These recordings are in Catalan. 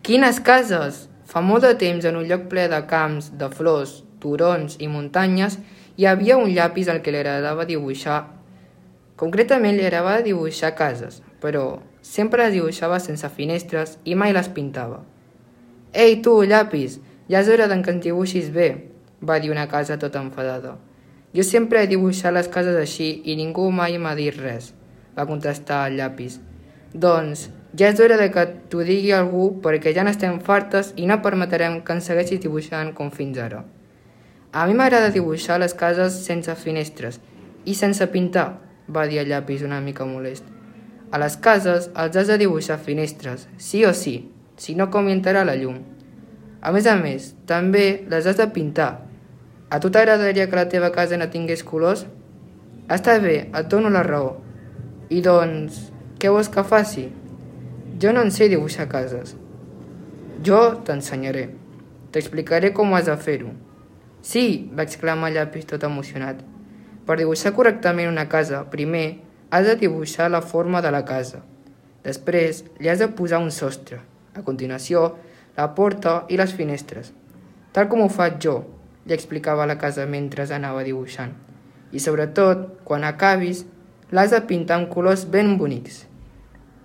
Quines cases! Fa molt de temps, en un lloc ple de camps, de flors, turons i muntanyes, hi havia un llapis al que li agradava dibuixar. Concretament li agradava dibuixar cases, però sempre les dibuixava sense finestres i mai les pintava. «Ei, tu, llapis, ja és hora que ens dibuixis bé», va dir una casa tota enfadada. «Jo sempre he dibuixat les cases així i ningú mai m'ha dit res», va contestar el llapis. «Doncs ja és hora que t'ho digui algú perquè ja n'estem fartes i no permetrem que ens segueixis dibuixant com fins ara. A mi m'agrada dibuixar les cases sense finestres i sense pintar», va dir el llapis una mica molest. «A les cases els has de dibuixar finestres, sí o sí, si no com hi entrarà la llum. A més, també les has de pintar. A tu t'agradaria que la teva casa no tingués colors? Està bé, et dono la raó. I doncs, què vols que faci? Jo no en sé dibuixar cases». «Jo t'ensenyaré. T'explicaré com has de fer-ho». «Sí», va exclamar el llapis tot emocionat. «Per dibuixar correctament una casa, primer has de dibuixar la forma de la casa. Després li has de posar un sostre. A continuació, la porta i les finestres. Tal com ho faig jo», li explicava la casa mentre anava dibuixant. «I sobretot, quan acabis, l'has de pintar amb colors ben bonics».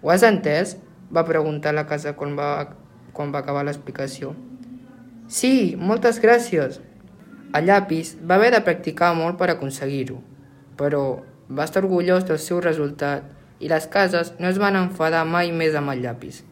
«Ho has entès?», va preguntar la casa quan va acabar l'explicació. «Sí, moltes gràcies». El llapis va haver de practicar molt per aconseguir-ho, però va estar orgullós del seu resultat i les cases no es van enfadar mai més amb el llapis.